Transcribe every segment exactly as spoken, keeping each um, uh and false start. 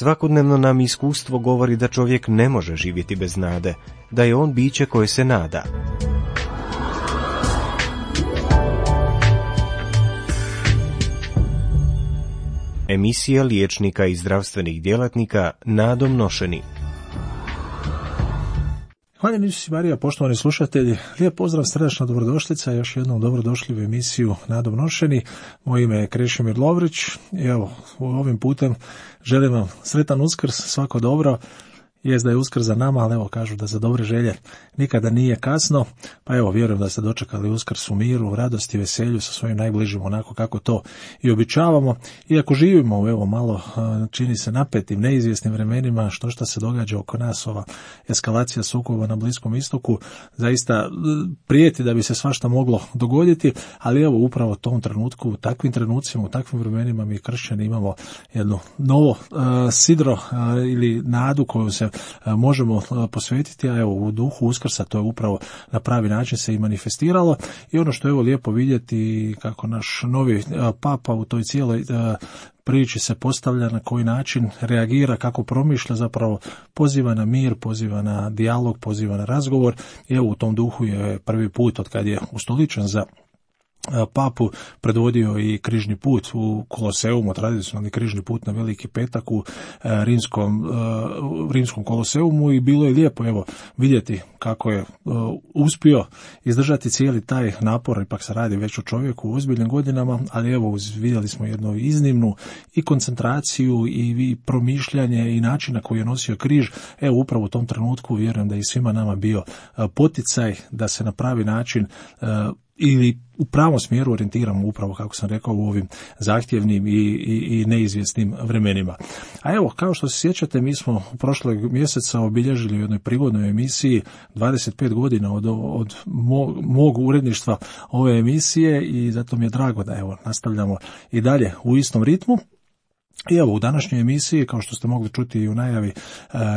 Svakodnevno nam iskustvo govori da čovjek ne može živjeti bez nade, da je on biće koje se nada. Emisija liječnika i zdravstvenih djelatnika Nadom nošeni. Hvala Isus Marija, poštovani slušatelji, lijep pozdrav, srdačna dobrodošlica, još jednom dobrodošli u emisiju Nadom nošeni. Moje ime je Krešimir Lovrić i evo, ovim putem želim vam sretan Uskrs, svako dobro. Jest da je Uskrs za nama, ali evo kažu da za dobre želje nikada nije kasno, pa evo vjerujem da ste dočekali Uskrs u miru, u radosti, veselju sa svojim najbližim, onako kako to i običavamo. Iako živimo u evo malo čini se napetim, neizvjesnim vremenima, što šta se događa oko nas, ova eskalacija sukoba na Bliskom istoku, zaista prijeti da bi se svašta moglo dogoditi, ali evo upravo u tom trenutku, u takvim trenucima, u takvim vremenima mi kršćani imamo jedno novo uh, sidro uh, ili nadu koju se možemo posvetiti, a evo u duhu Uskrsa to je upravo na pravi način se i manifestiralo. I ono što je evo lijepo vidjeti kako naš novi papa u toj cijeloj priči se postavlja, na koji način reagira, kako promišlja, zapravo poziva na mir, poziva na dijalog, poziva na razgovor. I evo u tom duhu je prvi put od kad je ustoličen za papu predvodio i križni put u Koloseumu, tradicionalni križni put na Veliki petak u rimskom, rimskom Koloseumu, i bilo je lijepo evo vidjeti kako je uspio izdržati cijeli taj napor. Ipak se radi već o čovjeku u ozbiljnim godinama, ali evo vidjeli smo jednu iznimnu i koncentraciju i promišljanje i način na koji je nosio križ. Evo upravo u tom trenutku vjerujem da je i svima nama bio poticaj da se na pravi način ili u pravom smjeru orijentiramo, upravo kako sam rekao, u ovim zahtjevnim i, i, i neizvjesnim vremenima. A evo, kao što se sjećate, mi smo u prošlog mjeseca obilježili u jednoj prigodnoj emisiji dvadeset pet godina od, od mog, mog uredništva ove emisije, i zato mi je drago da evo nastavljamo i dalje u istom ritmu. I evo u današnjoj emisiji, kao što ste mogli čuti i u najavi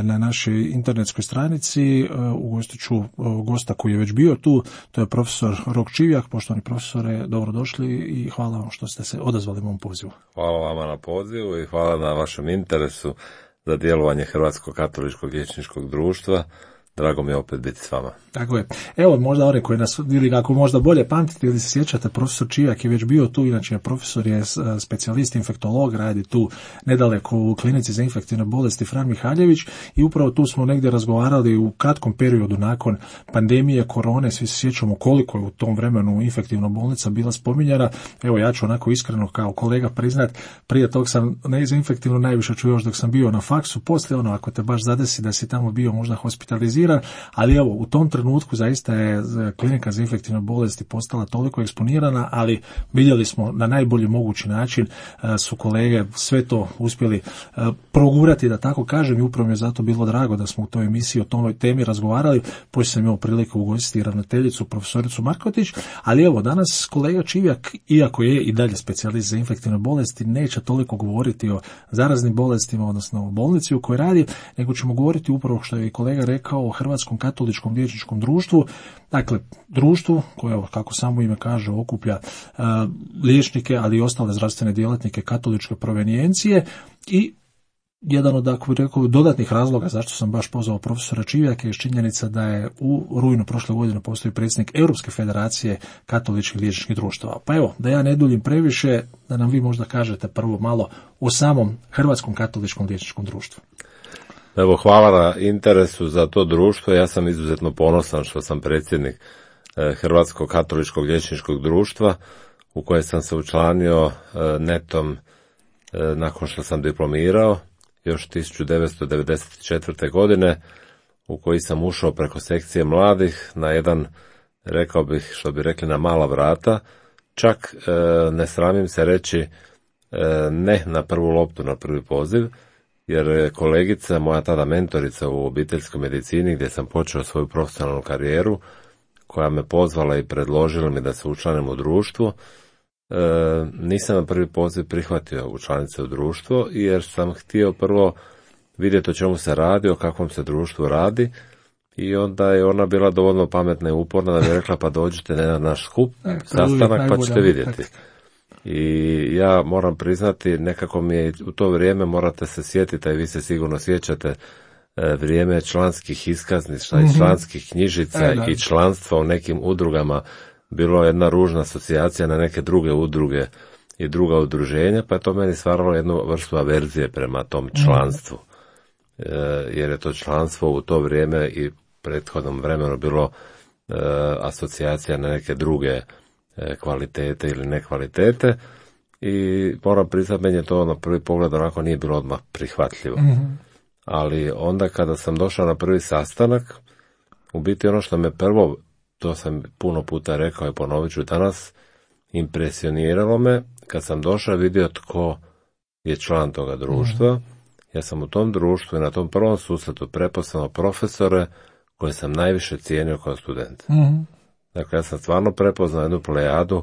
na našoj internetskoj stranici, ugostit ću gosta koji je već bio tu, to je profesor Rok Čivjak. Poštovani profesore, dobrodošli i hvala vam što ste se odazvali mom pozivu. Hvala vama na pozivu i hvala na vašem interesu za djelovanje Hrvatskog katoličkog liječničkog društva. Drago mi je opet biti s vama. Tako je. Evo, možda one koji nas, ili ako možda bolje pamtite ili se sjećate, profesor Čivjak je već bio tu, inače profesor je specijalist infektolog, radi tu nedaleko u klinici za infektivne bolesti Fran Mihaljević, i upravo tu smo negdje razgovarali u kratkom periodu nakon pandemije korone, svi se sjećamo koliko je u tom vremenu infektivna bolnica bila spominjana. Evo, ja ću onako iskreno kao kolega priznat, prije tog sam ne za infektivno najviše čuo još dok sam bio na faksu, poslije ono ako te baš zadesi da si tamo bio možda hospitaliziran, ali evo u tom trenutku zaista je klinika za infektivne bolesti postala toliko eksponirana, ali vidjeli smo na najbolji mogući način su kolege sve to uspjeli progurati, da tako kažem, i upravo mi je zato bilo drago da smo u toj emisiji o toj temi razgovarali. Poslije sam imao priliku ugostiti ravnateljicu profesoricu Markotić, ali evo danas kolega Čivjak, iako je i dalje specijalist za infektivne bolesti, neće toliko govoriti o zaraznim bolestima, odnosno o bolnici u kojoj radi, nego ćemo govoriti upravo što je i kolega rekao o Hrvatskom katoličkom liječničkom društvu, dakle društvu koje, kako samo ime kaže, okuplja uh, liječnike, ali i ostale zdravstvene djelatnike katoličke provenijencije. I jedan od, ako bih rekao, dodatnih razloga zašto sam baš pozvao profesora Čivjaka je činjenica da je u rujnu prošle godine postoji predsjednik Europske federacije katoličkih liječničkih društava. Pa evo, da ja ne duljim previše, da nam vi možda kažete prvo malo o samom Hrvatskom katoličkom liječničkom društvu. Evo, hvala na interesu za to društvo. Ja sam izuzetno ponosan što sam predsjednik Hrvatskog katoličkog liječničkog društva, u koje sam se učlanio netom nakon što sam diplomirao još tisuću devetsto devedeset četvrte. godine, u koji sam ušao preko sekcije mladih na jedan, rekao bih, što bi rekli, na mala vrata. Čak ne sramim se reći ne na prvu loptu, na prvi poziv, jer kolegica, moja tada mentorica u obiteljskoj medicini, gdje sam počeo svoju profesionalnu karijeru, koja me pozvala i predložila mi da se učlanim u društvo, e, nisam na prvi poziv prihvatio učlanice u društvo, jer sam htio prvo vidjeti o čemu se radi, o kakvom se društvu radi, i onda je ona bila dovoljno pametna i uporna da mi je rekla, pa dođite na naš skup, sastanak, pa ćete vidjeti. I ja moram priznati, nekako mi je u to vrijeme, morate se sjetiti, a i vi se sigurno sjećate, vrijeme članskih iskaznica i članskih knjižica e, i članstva u nekim udrugama bilo jedna ružna asocijacija na neke druge udruge i druga udruženja, pa je to meni stvaralo jednu vrstu averzije prema tom članstvu. E, jer je to članstvo u to vrijeme i prethodnom vremenu bilo e, asocijacija na neke druge e, kvalitete ili nekvalitete i moram priznati, meni je to na prvi pogled onako nije bilo odmah prihvatljivo. Mm-hmm. Ali onda kada sam došao na prvi sastanak, u biti ono što me prvo, to sam puno puta rekao i ponovit ću danas, impresioniralo me, kad sam došao vidio tko je član toga društva. Mm. Ja sam u tom društvu i na tom prvom susretu prepoznao profesore koje sam najviše cijenio kao student. Mm. Dakle, ja sam stvarno prepoznao jednu plejadu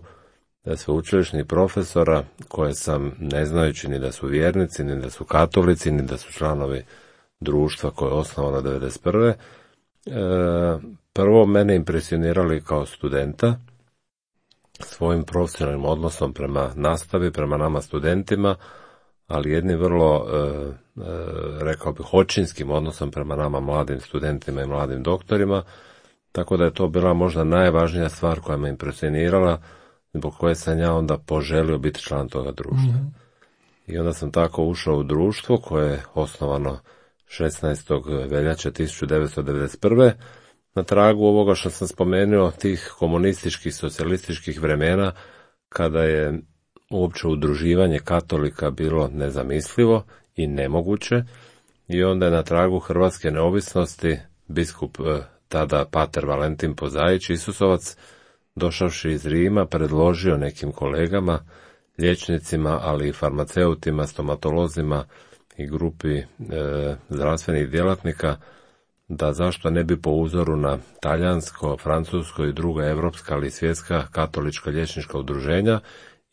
sveučilišnih profesora koje sam, ne znajući ni da su vjernici, ni da su katolici, ni da su članovi društva koje je osnovano devedeset prve. E, prvo mene impresionirali kao studenta svojim profesionalnim odnosom prema nastavi, prema nama studentima, ali jednim vrlo, e, e, rekao bih, očinskim odnosom prema nama mladim studentima i mladim doktorima, tako da je to bila možda najvažnija stvar koja me impresionirala, zbog koje sam ja onda poželio biti član toga društva. Mm-hmm. I onda sam tako ušao u društvo koje je osnovano šesnaestog veljače tisuću devetsto devedeset prve. Na tragu ovoga što sam spomenuo, tih komunističkih, socijalističkih vremena, kada je uopće udruživanje katolika bilo nezamislivo i nemoguće, i onda je na tragu hrvatske neovisnosti biskup tada pater Valentin Pozaić Isusovac, došavši iz Rima, predložio nekim kolegama, liječnicima, ali i farmaceutima, stomatolozima i grupi e, zdravstvenih djelatnika, da zašto ne bi po uzoru na talijansko, francusko i druga evropska, ali i svjetska katolička liječnička udruženja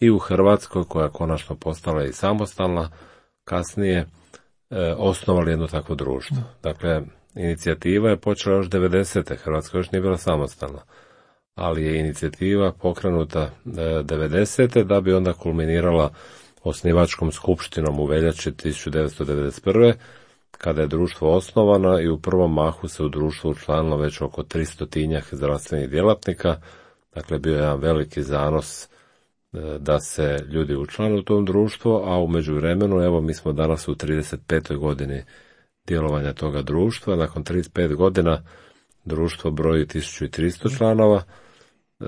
i u Hrvatskoj, koja konačno postala i samostalna, kasnije e, osnovali jedno takvo društvo. Dakle, inicijativa je počela još devedesete. Hrvatska još nije bila samostalna, ali je inicijativa pokrenuta e, devedesete da bi onda kulminirala osnivačkom skupštinom u veljači tisuću devetsto devedeset prve. kada je društvo osnovano i u prvom mahu se u društvu učlanilo već oko tristotinjak zdravstvenih djelatnika. Dakle, bio je jedan veliki zanos da se ljudi učlane u tom društvu, a u međuvremenu, evo, mi smo danas u trideset petoj godini djelovanja toga društva. Nakon trideset pet godina društvo broji tisuću tristo članova, e,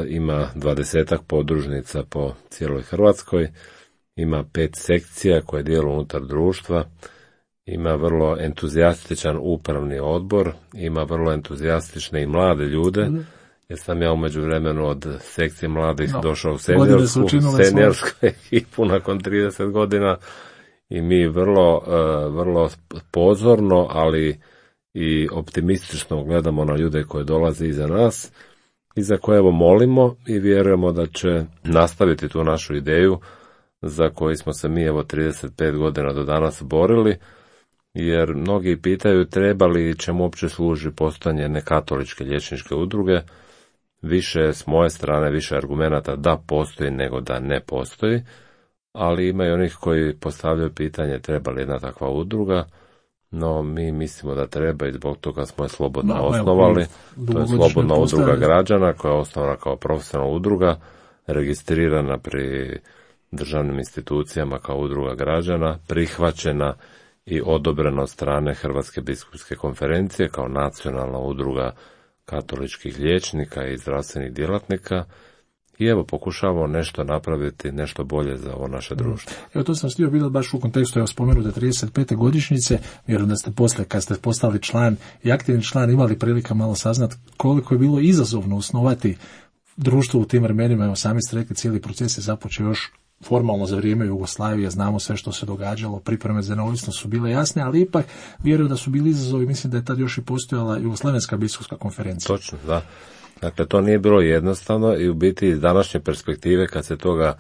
ima dvadesetak podružnica po cijeloj Hrvatskoj, ima pet sekcija koje djeluju unutar društva, ima vrlo entuzijastičan upravni odbor, ima vrlo entuzijastične i mlade ljude, jer sam ja u međuvremenu od sekcije mladih no, došao u seniorsku, seniorsku ekipu nakon trideset godina i mi vrlo, uh, vrlo pozorno, ali i optimistično gledamo na ljude koji dolaze iza nas i za koje evo molimo i vjerujemo da će nastaviti tu našu ideju za koju smo se mi evo trideset pet godina do danas borili, jer mnogi pitaju treba li čemu uopće služi postojanje nekatoličke liječničke udruge. Više s moje strane, više argumenata da postoji nego da ne postoji, ali ima i onih koji postavljaju pitanje treba li jedna takva udruga, no mi mislimo da treba i zbog toga smo je slobodno no, osnovali. To je slobodna udruga građana koja je osnovana kao profesionalna udruga, registrirana pri državnim institucijama kao udruga građana, prihvaćena i odobrena od strane Hrvatske biskupske konferencije kao nacionalna udruga katoličkih liječnika i zdravstvenih djelatnika i evo pokušavamo nešto napraviti, nešto bolje za ovo naše društvo. Evo to sam htio bilo baš u kontekstu, evo spomenute trideset pete godišnjice, vjerujem da ste poslije kad ste postali član i aktivni član imali prilika malo saznati koliko je bilo izazovno osnovati društvo u tim vremenima. Evo sami ste rekli, cijeli proces je započeo još formalno za vrijeme Jugoslavije, znamo sve što se događalo, pripreme za neovisnost su bile jasne, ali ipak vjerujem da su bili izazovi, mislim da je tad još i postojala Jugoslavenska biskupska konferencija. Točno, da. Dakle, to nije bilo jednostavno i u biti iz današnje perspektive kad se toga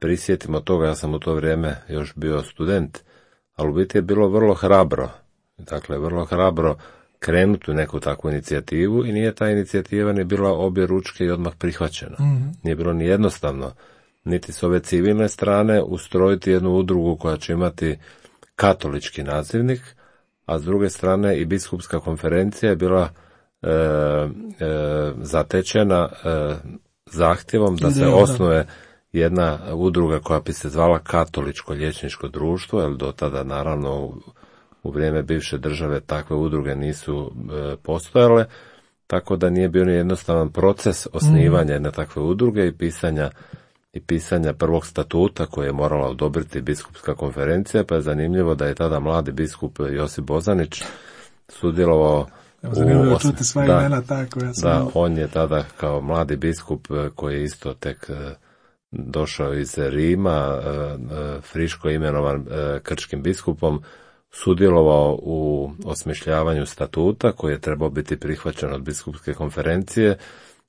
prisjetimo toga, ja sam u to vrijeme još bio student, ali u biti je bilo vrlo hrabro, dakle, vrlo hrabro krenuti u neku takvu inicijativu i nije ta inicijativa ni bila obje ručke i odmah prihvaćena. Mm-hmm. Nije bilo ni jednostavno niti s ove civilne strane ustrojiti jednu udrugu koja će imati katolički nazivnik, a s druge strane i biskupska konferencija je bila e, e, zatečena e, zahtjevom da se osnuje jedna udruga koja bi se zvala Katoličko liječničko društvo, jer do tada naravno u, u vrijeme bivše države takve udruge nisu e, postojale, tako da nije bio ni jednostavan proces osnivanja jedne takve udruge i pisanja i pisanja prvog statuta koje je morala odobriti biskupska konferencija, pa je zanimljivo da je tada mladi biskup Josip Bozanić sudjelovao. Zanimljivo je čuti sva imena tako. Ja sam... Da, on je tada kao mladi biskup koji je isto tek došao iz Rima, friško imenovan krčkim biskupom, sudjelovao u osmišljavanju statuta koji je trebao biti prihvaćen od biskupske konferencije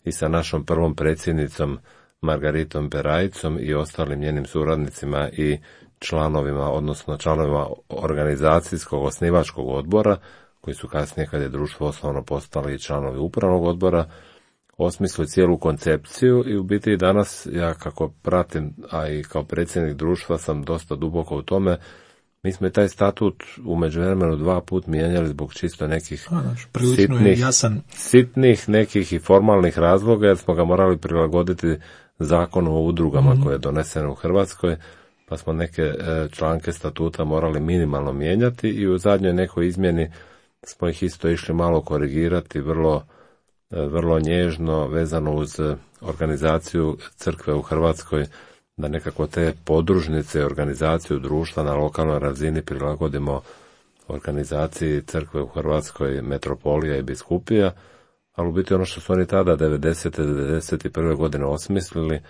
i sa našom prvom predsjednicom Margaritom Perajicom i ostalim njenim suradnicima i članovima, odnosno članovima organizacijskog osnivačkog odbora, koji su kasnije, kad je društvo osnovno, postali i članovi upravnog odbora, osmislili cijelu koncepciju i u biti i danas, ja kako pratim, a i kao predsjednik društva sam dosta duboko u tome, mi smo i taj statut u međuvremenu dva put mijenjali zbog čisto nekih a, znači, sitnih, jasan. sitnih nekih i formalnih razloga, jer smo ga morali prilagoditi zakonu o udrugama mm-hmm. koje je doneseno u Hrvatskoj, pa smo neke e, članke statuta morali minimalno mijenjati i u zadnjoj nekoj izmjeni smo ih isto išli malo korigirati, vrlo, e, vrlo nježno, vezano uz organizaciju crkve u Hrvatskoj, da nekako te podružnice i organizaciju društva na lokalnoj razini prilagodimo organizaciji crkve u Hrvatskoj, metropolija i biskupija, ali u biti ono što su oni tada devedesete do devedeset prve godine osmislili,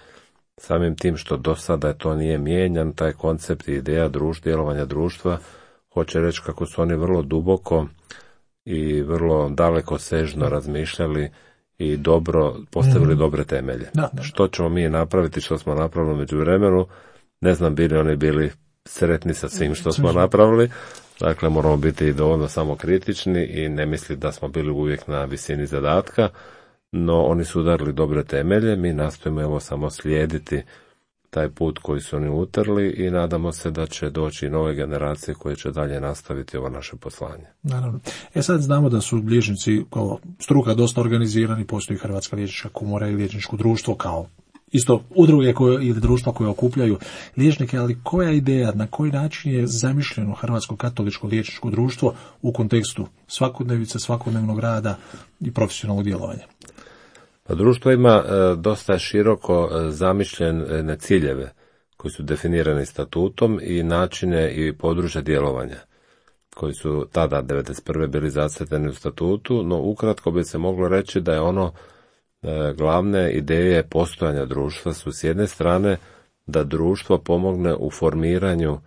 samim tim što do sada to nije mijenjan, taj koncept i ideja društva, djelovanja društva, hoće reći kako su oni vrlo duboko i vrlo daleko sežno razmišljali i dobro postavili mm. dobre temelje. Da, da. Što ćemo mi napraviti, što smo napravili u međuvremenu, ne znam bili oni bili sretni sa svim što smo napravili, dakle moramo biti dovoljno samokritični i ne misliti da smo bili uvijek na visini zadatka, no oni su udarili dobre temelje, mi nastojimo evo samo slijediti taj put koji su oni utrli i nadamo se da će doći i nove generacije koje će dalje nastaviti ovo naše poslanje. Naravno. E sad znamo da su liječnici kao struka dosta organizirani, postoji Hrvatska liječnička komora i liječničko društvo kao isto udruge koje, ili društva koje okupljaju liječnike, ali koja ideja, na koji način je zamišljeno Hrvatsko katoličko liječničko društvo u kontekstu svakodnevice, svakodnevnog rada i profesionalnog djelovanja? Pa društvo ima e, dosta široko e, zamišljene ciljeve koji su definirani statutom i načine i područja djelovanja koji su tada devedeset prve bili zacrtani u statutu, no ukratko bi se moglo reći da je ono e, glavne ideje postojanja društva su s jedne strane da društvo pomogne u formiranju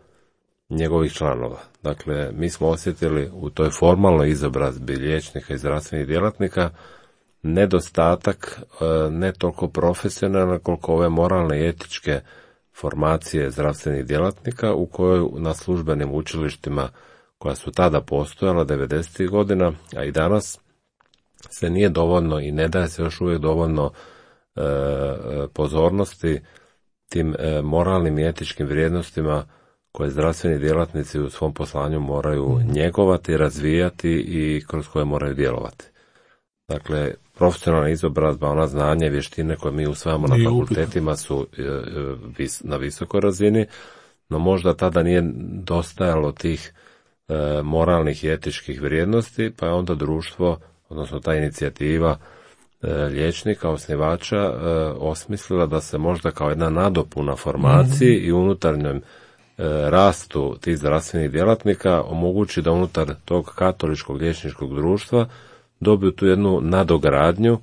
njegovih članova. Dakle, mi smo osjetili u toj formalnoj izobrazbi liječnika i zdravstvenih djelatnika nedostatak ne toliko profesionalne koliko ove moralne i etičke formacije zdravstvenih djelatnika u kojoj na službenim učilištima koja su tada postojala devedesetih godina, a i danas se nije dovoljno i ne daje se još uvijek dovoljno e, pozornosti tim e, moralnim i etičkim vrijednostima koje zdravstveni djelatnici u svom poslanju moraju njegovati, razvijati i kroz koje moraju djelovati. Dakle, profesionalna izobrazba, ona znanje i vještine koje mi usvajamo na fakultetima su e, vis, na visokoj razini, no možda tada nije dostajalo tih e, moralnih i etičkih vrijednosti, pa je onda društvo, odnosno ta inicijativa e, liječnika, osnivača, e, osmislila da se možda kao jedna nadopuna formaciji mm-hmm. i unutarnjem e, rastu tih zdravstvenih djelatnika omogući da unutar tog katoličkog liječničkog društva dobiju tu jednu nadogradnju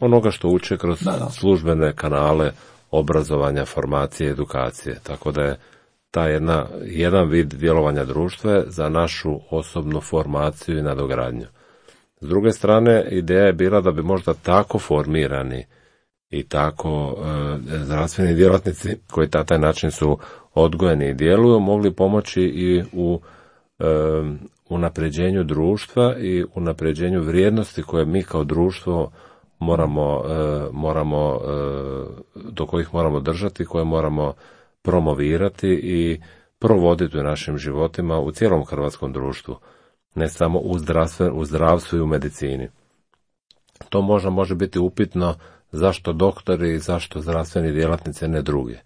onoga što uče kroz da, da. službene kanale obrazovanja, formacije, edukacije. Tako da je ta jedna, jedan vid djelovanja društva za našu osobnu formaciju i nadogradnju. S druge strane, ideja je bila da bi možda tako formirani i tako e, zdravstveni djelatnici koji na taj način su odgojeni i djeluju, mogli pomoći i u e, unapređenju društva i unapređenju vrijednosti koje mi kao društvo moramo, e, moramo e, do kojih moramo držati, koje moramo promovirati i provoditi u našim životima u cijelom hrvatskom društvu, ne samo u, u zdravstvu i u medicini. To možda može biti upitno zašto doktori i zašto zdravstveni djelatnici, ne drugi.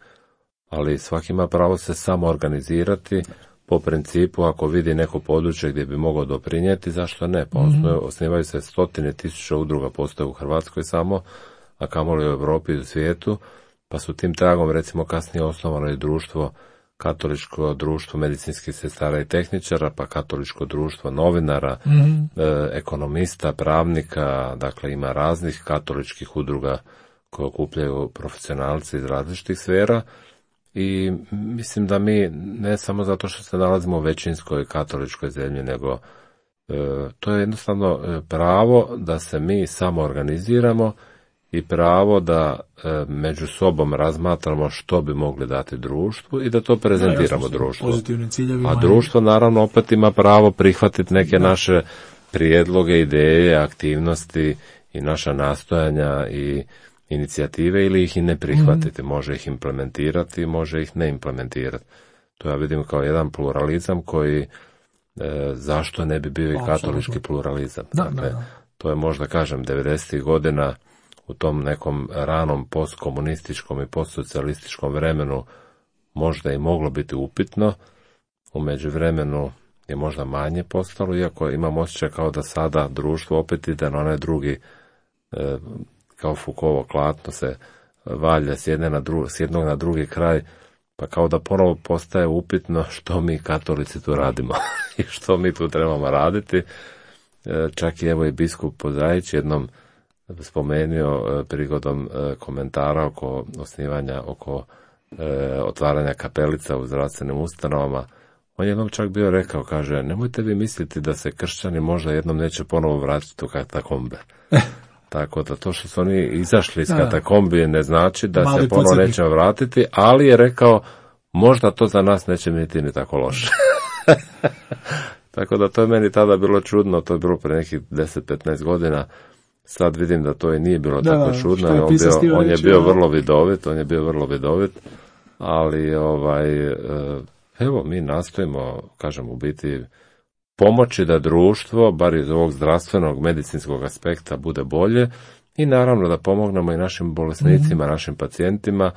Ali svaki ima pravo se samo organizirati po principu ako vidi neko područje gdje bi mogao doprinijeti, zašto ne? Pa mm-hmm. osnivaju se stotine tisuća udruga, postoje u Hrvatskoj samo, a kamoli u Europi i u svijetu, pa su tim tragom recimo kasnije osnovano i društvo, katoličko društvo medicinskih sestara i tehničara, pa katoličko društvo novinara, mm-hmm. e, ekonomista, pravnika, dakle ima raznih katoličkih udruga koje okupljaju profesionalci iz različitih sfera. I mislim da mi, ne samo zato što se nalazimo u većinskoj katoličkoj zemlji, nego e, to je jednostavno pravo da se mi samo organiziramo i pravo da e, među sobom razmatramo što bi mogli dati društvu i da to prezentiramo da, društvu. A društvo naravno opet ima pravo prihvatiti neke da. naše prijedloge, ideje, aktivnosti i naša nastojanja i inicijative ili ih i ne prihvatiti, mm. može ih implementirati, može ih ne implementirati. To ja vidim kao jedan pluralizam koji, e, zašto ne bi bio i katolički pluralizam. Da, dakle, da, da. To je možda, kažem, devedesetih godina u tom nekom ranom postkomunističkom i postsocijalističkom vremenu možda i moglo biti upitno, u međuvremenu je možda manje postalo, iako imam osjećaj kao da sada društvo opet ide na onaj drugi, e, kao Foucaultovo klatno se valja s, jedne na dru, s jednog na drugi kraj, pa kao da ponovo postaje upitno što mi katolici tu radimo i što mi tu trebamo raditi. E, čak i evo i biskup Pozajić jednom spomenuo e, prigodom e, komentara oko osnivanja, oko e, otvaranja kapelica u zdravstvenim ustanovama. On jednom čak bio rekao, kaže, nemojte vi misliti da se kršćani možda jednom neće ponovo vratiti u katakombe. Tako da to što su oni izašli iz katakombi ne znači da Mali se ponovo neće vratiti, ali je rekao, možda to za nas neće biti ni tako loše. Tako da to je meni tada bilo čudno, to je bilo pre nekih deset petnaest godina. Sad vidim da to i nije bilo da, tako čudno, je on, bio, on je bio vrlo vidovit, on je bio vrlo vidovit, ali ovaj, evo mi nastojimo, kažem, u biti pomoći da društvo, bar iz ovog zdravstvenog, medicinskog aspekta, bude bolje i naravno da pomognemo i našim bolesnicima, mm-hmm. našim pacijentima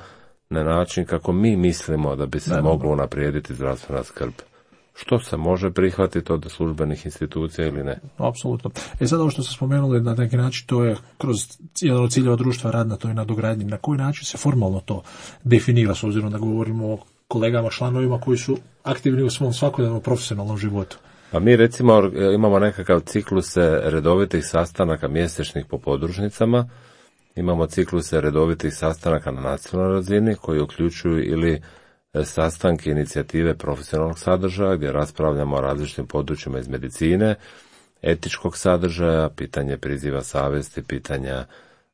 na način kako mi mislimo da bi se da, moglo unaprijediti zdravstvena skrb. Što se može prihvatiti od službenih institucija ili ne? Apsolutno. E sad ovo što ste spomenuli, na neki način to je kroz jedan od ciljeva društva rad na toj nadogradnji. Na koji način se formalno to definira, s obzirom da govorimo o kolegama, članovima koji su aktivni u svom svakodnevnom profesionalnom životu? Pa mi recimo imamo nekakav cikluse redovitih sastanaka mjesečnih po podružnicama, imamo cikluse redovitih sastanaka na nacionalnoj razini koji uključuju ili sastanke inicijative profesionalnog sadržaja gdje raspravljamo o različitim područjima iz medicine, etičkog sadržaja, pitanje priziva savjesti, pitanja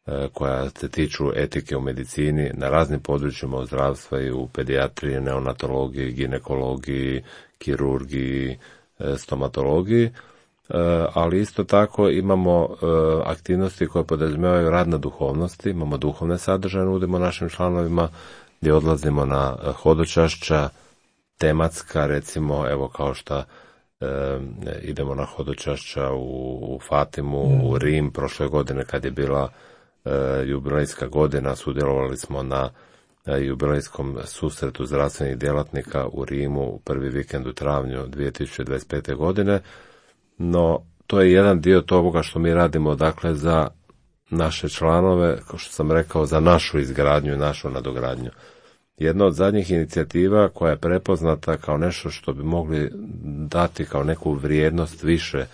e, koja se tiču etike u medicini na raznim područjima u zdravstvu i u pedijatriji, neonatologiji, ginekologiji, kirurgiji, e, stomatologiji, e, ali isto tako imamo e, aktivnosti koje podrazumijevaju rad na duhovnosti, imamo duhovne sadržaje, nudimo našim članovima gdje odlazimo na hodočašća, tematska, recimo, evo kao što e, idemo na hodočašća u, u Fatimu, mm. u Rim, prošle godine kad je bila e, jubilejska godina, sudjelovali smo na e, jubilejskom susretu zdravstvenih djelatnika u Rimu u prvi vikend u travnju dvije tisuće dvadeset pete. godine, no to je jedan dio toga što mi radimo, dakle, za naše članove, kao što sam rekao, za našu izgradnju i našu nadogradnju. Jedna od zadnjih inicijativa koja je prepoznata kao nešto što bi mogli dati kao neku vrijednost više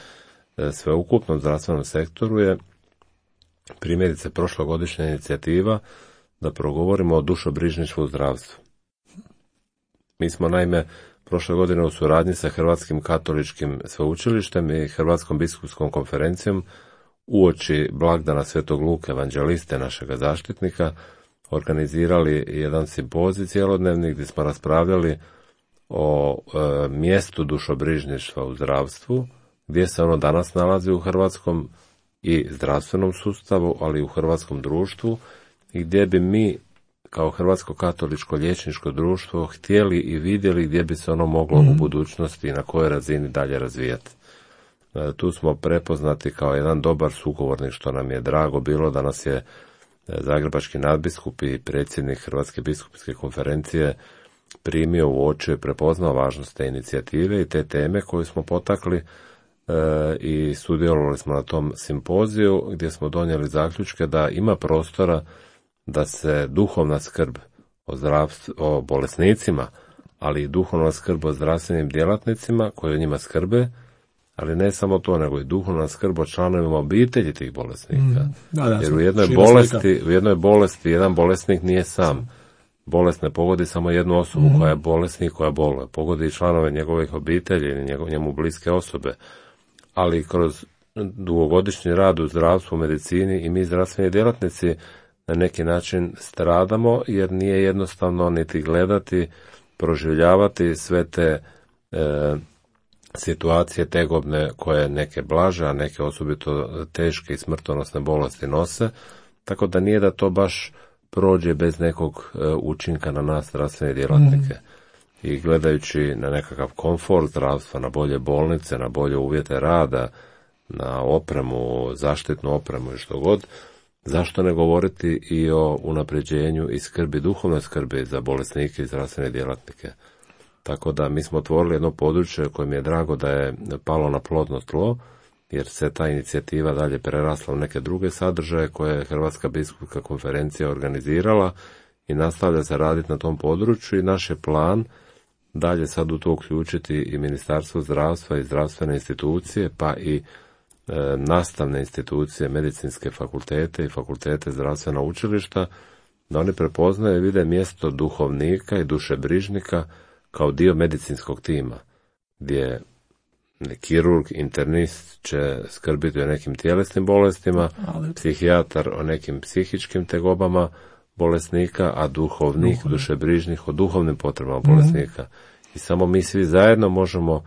sveukupnom zdravstvenom sektoru je primjerice prošlogodišnja inicijativa da progovorimo o dušobrižništvu u zdravstvu. Mi smo naime prošle godine u suradnji sa Hrvatskim katoličkim sveučilištem i Hrvatskom biskupskom konferencijom uoči blagdana Svetog Luke evanđeliste, našega zaštitnika, organizirali jedan simpozij cjelodnevni gdje smo raspravljali o e, mjestu dušobrižništva u zdravstvu, gdje se ono danas nalazi u hrvatskom i zdravstvenom sustavu, ali i u hrvatskom društvu, i gdje bi mi kao Hrvatsko katoličko liječničko društvo htjeli i vidjeli gdje bi se ono moglo mm. u budućnosti i na kojoj razini dalje razvijati. E, tu smo prepoznati kao jedan dobar sugovornik, što nam je drago bilo da nas je zagrebački nadbiskup i predsjednik Hrvatske biskupske konferencije primio u oči, prepoznao važnost te inicijative i te teme koju smo potakli e, i sudjelovali smo na tom simpoziju gdje smo donijeli zaključke da ima prostora da se duhovna skrb o, zdravstv, o bolesnicima, ali i duhovna skrb o zdravstvenim djelatnicima koji o njima skrbe, ali ne samo to, nego i duhovna skrb o članovima obitelji tih bolesnika. Mm, da, da, jer u jednoj bolesti, u jednoj bolesti jedan bolesnik nije sam. Bolest ne pogodi samo jednu osobu mm. koja je bolesnik, koja boluje. Pogodi i članove njegovih obitelji ili njegov, njemu bliske osobe. Ali kroz dugogodišnji rad u zdravstvu, u medicini i mi zdravstveni djelatnici na neki način stradamo, jer nije jednostavno niti gledati, proživljavati sve te e, situacije tegobne koje neke blaže, a neke osobito teške i smrtonosne bolesti nose, tako da nije da to baš prođe bez nekog e, učinka na nas zdravstvene djelatnike. Mm. I gledajući na nekakav komfort zdravstva, na bolje bolnice, na bolje uvjete rada, na opremu, zaštitnu opremu i što god, zašto ne govoriti i o unapređenju i skrbi, duhovnoj skrbi za bolesnike i zdravstvene djelatnike. Tako da mi smo otvorili jedno područje koje mi je drago da je palo na plodno tlo, jer se ta inicijativa dalje prerasla u neke druge sadržaje koje je Hrvatska biskupska konferencija organizirala i nastavlja se raditi na tom području i naš je plan dalje sad u to uključiti i Ministarstvo zdravstva i zdravstvene institucije, pa i e, nastavne institucije, medicinske fakultete i fakultete zdravstvena učilišta, da oni prepoznaju i vide mjesto duhovnika i dušebrižnika kao dio medicinskog tima, gdje kirurg, internist će skrbiti o nekim tjelesnim bolestima, ali psihijatar o nekim psihičkim tegobama bolesnika, a duhovnik, Duhovni. dušebrižnik o duhovnim potrebama mm-hmm. bolesnika. I samo mi svi zajedno možemo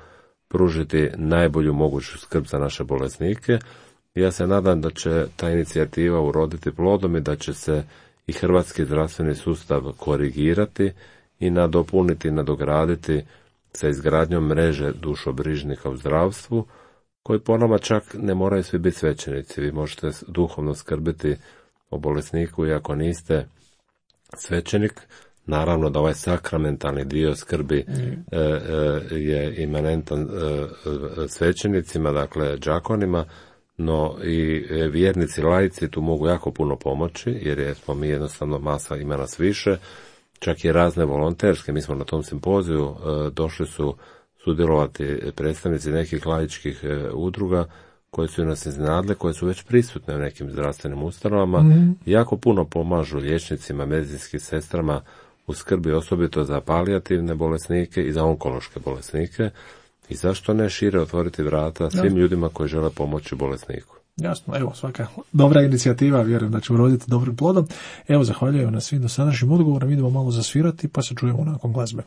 pružiti najbolju moguću skrb za naše bolesnike. Ja se nadam da će ta inicijativa uroditi plodom i da će se i hrvatski zdravstveni sustav korigirati i nadopuniti, nadograditi sa izgradnjom mreže dušobrižnika u zdravstvu, koji po nama čak ne moraju svi biti svećenici. Vi možete duhovno skrbiti o bolesniku iako niste svećenik. Naravno da ovaj sakramentalni dio skrbi mm. e, e, je imanentan e, svećenicima, dakle đakonima, no i vjernici, laici tu mogu jako puno pomoći, jer je, smo mi jednostavno masa, ima nas više, čak i razne volonterske. Mi smo na tom simpoziju e, došli su sudjelovati predstavnici nekih laičkih e, udruga koje su nas iznenadile, koje su već prisutne u nekim zdravstvenim ustanovama, mm. jako puno pomažu liječnicima, medicinskim sestrama u skrbi osobito za palijativne bolesnike i za onkološke bolesnike. I zašto ne šire otvoriti vrata svim Jasno. ljudima koji žele pomoći bolesniku. Jasno, evo, svaka dobra inicijativa, vjerujem da će uroditi dobrim plodom. Evo, zahvaljujem na svim dosadašnjim odgovorima, idemo malo zasvirati pa se čujemo nakon glazbe.